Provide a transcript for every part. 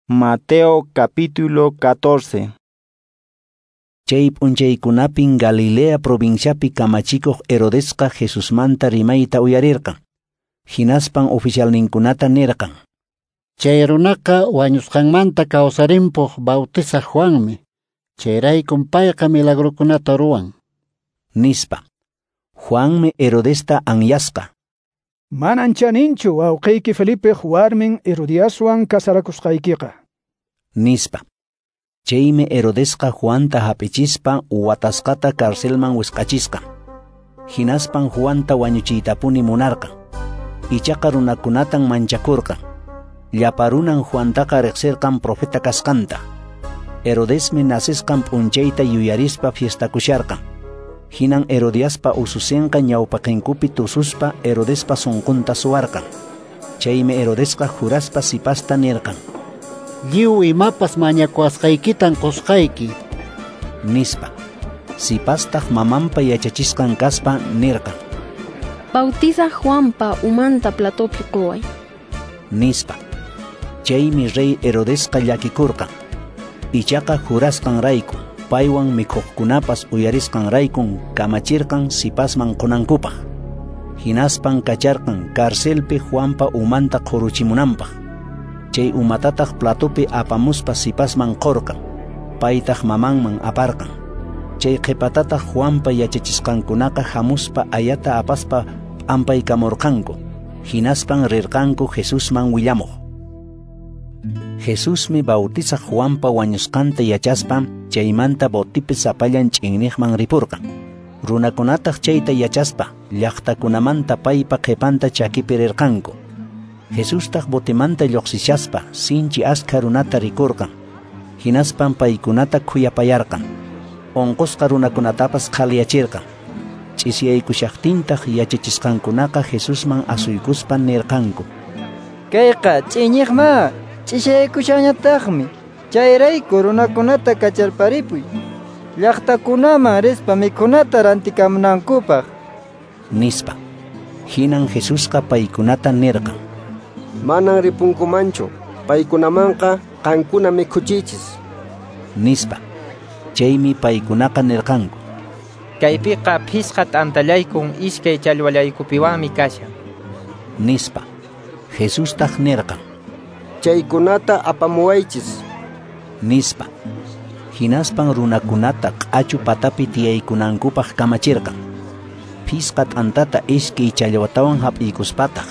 Mateo capítulo 14. Chay p'unchaykunapin Galilea provinciapi kamachikuq Herodesqa Jesusmanta rimayta uyarirqan. Hinaspan oficialninkunata nirqan: Chay runaqa wañusqanmanta kawsarimpuq Bautizaq Juanmi. Chayraykum payqa milagrokunata ruwan, nispa. Juanmi Herodesta anyasqa: Manan chaninchu wawqiyki Felipeq warmin Herodiaswan casarakusqaykiqa, nispa. Chaymi Herodesqa Juanta hap'ichispa watasqata carcelman wisq'achisqa. Hinaspan Juanta wañuchiytapuni munarqan. Ichaqa runakunatan manchakurqan. Llapa runan Juantaqa riqsirqan profeta kasqanta. Herodesmi nacesqan p'unchayta yuyarispa fiestakusharqan. Hinan Herodiaspa ususinqa ñawpaqinkupi tususpa Herodespa sunqunta suwarqan. Chaymi Herodesqa juraspa sipasta nirqan: Lliw imapas mañakuwasqaykitan qusqayki, nispa. Sipastaq mamanpa yachachisqan kaspa nirqan: Bautizaq Juanpa umanta platopi quway, nispa. Chaymi rey Herodesqa llakikurqan. Ichaqa jurasqanrayku, paywan mikhuqkunapas uyarisqanraykun kamachirqan sipasman qunankupaq. Hinaspan kacharqan carcelpi Juanpa umanta qhuruchimunanpaq. Chay umatataq platopi apamuspa sipasman qurqan, paytaq mamanman aparqan. Chay qhipatataq Juanpa yachachisqankunaqa hamuspa ayata apaspa p'ampaykamurqanku. Hinaspan rirqanku Jesusman willamuq. Jesusmi Bautizaq Juanpa wañusqanta yachaspa chaymanta botipi sapallan ch'inniqman ripurqan. Runakunataq chayta yachaspa llaqtakunamanta paypa qhipanta chakipi rirqanku. Jesustaq botimanta lluqsishaspa sinchi askha runata rikurqan. Hinaspan paykunata khuyapayarqan. Unqusqa runakunatapas qhaliyachirqan. Ch'isiyaykushaqtintaq yachachisqankunaqa Jesusman asuykuspa nirqanku: Kayqa ch'iñiqma, ch'isiyaykushanñataqmi. Chayrayku runakunata kacharparipuy, llaqtakunaman rispa mikhunata rantikamunankupaq, nispa. Hinan Jesusqa paykunata nirqan: Manan ripunkumanchu, paykunamanqa qankuna mikhuchiychis, nispa. Chaymi paykunaqa nirqanku: Kaypiqa phisqa t'antallaykun iskay challwallaykupiwanmi kashan, nispa. Jesustaq nirqan: Chaykunata apamuwaychis, nispa. Hinaspan runakunata q'achu patapi tiyaykunankupaq kamachirqan. Phisqa t'antata iskay challwatawan hap'iykuspataq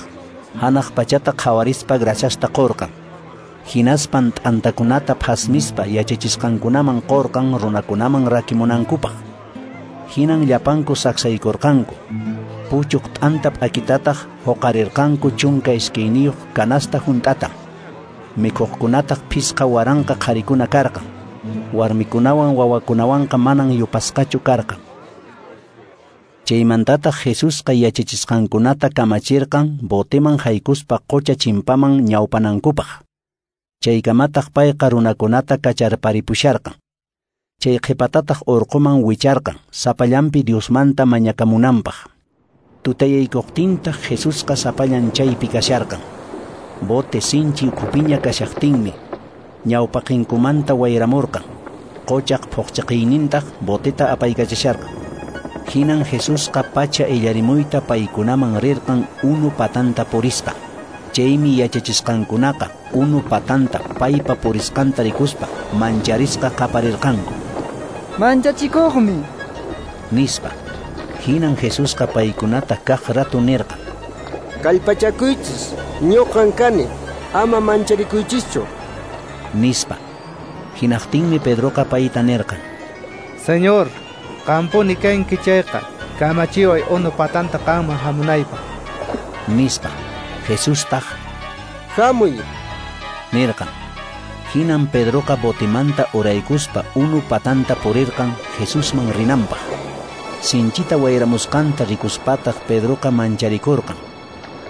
hanaq pachata qhawarispa graciasta qurqan. Hinaspan t'antakunata phasmispa yachachisqankunaman qurqan runakunaman rakimunankupaq. Hinan llapanku saksaykurqanku. Puchuq t'anta p'akitataq huqarirqanku 12 canasta hunt'ata. Mikhuqkunataq 5000 qharikuna karqan. Warmikunawan wawakunawanqa manan yupasqachu karqan. Chaymantataq Jesusqa yachachisqankunata kamachirqan boteman haykuspa qocha chimpaman ñawpanankupaq. Chaykamataq payqa runakunata kacharparipusharqan. Chay qhipatataq urquman wicharqan sapallanpi Diosmanta mañakamunanpaq. Tutayaykuqtintaq Jesusqa sapallan chaypi kasharqan. Bote sinchi ukhupiña kashaqtinmi ñawpaqinkumanta wayramurqan. Qochaq phuqchiqiynintaq boteta apaykachasharqan. Hinan Jesusqa pacha illarimuyta paykunaman rirqan unu patanta purispa. Chaymi yachachisqankunaqa unu patanta paypa purisqanta rikuspa mancharisqa qaparirqanku: Manchachikuqmi, nispa. Hinan Jesusqa paykunata kaq ratu nirqan: Kallpachakuychis, ñuqan kani, ama mancharikuychischu, nispa. Hinaqtinmi Pedroqa payta nirqan: Señor, qampuni kanki chayqa, kamachiway unu patanta qanman hamunaypaq, nispa. Jesustaq: Hamuy, nirqan. Hinan Pedroqa botimanta uraykuspa unu patanta purirqan Jesusman rinanpaq. Sinchita wayramusqanta rikuspataq Pedroqa mancharikurqan.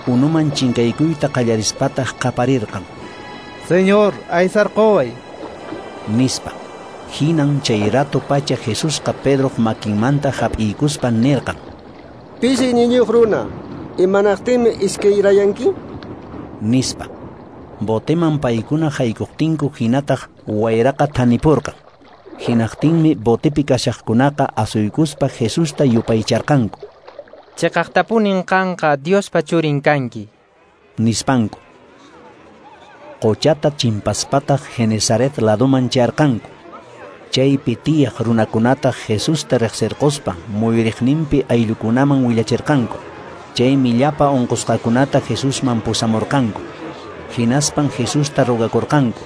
Unuman chinkaykuyta qallarispataq qaparirqan: Señor, aysarquway, nispa. Hinan chay rato pacha Jesusqa Pedroq makinmanta hap'iykuspa nirqan: Pisi iñiyniyuq runa, imanaqtinmi iskayrayanki, nispa. Boteman paykuna haykuqtinku hinataq wayraqa thanipurqan. Hinaqtinmi botepi kashaqkunaqa asuykuspa Jesusta yupaycharqanku. Chiqaqtapunin qanqa Diospa churin kanki, nispanku. Qochata chimpaspataq Genesaret ladoman chayarqanku. Chaypi tiyaq runakunataq Jesusta riqsirquspa muyuriqninpi ayllukunaman willachirqanku. Chaymi llapa unqusqakunata Jesusman pusamurqanku. Hinaspan Jesusta rogakurqanku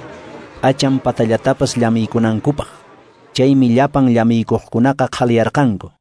p'achan patallatapas llamiykunankupaq. Chaymi llapan llamiykuqkunaqa qhaliyarqanku.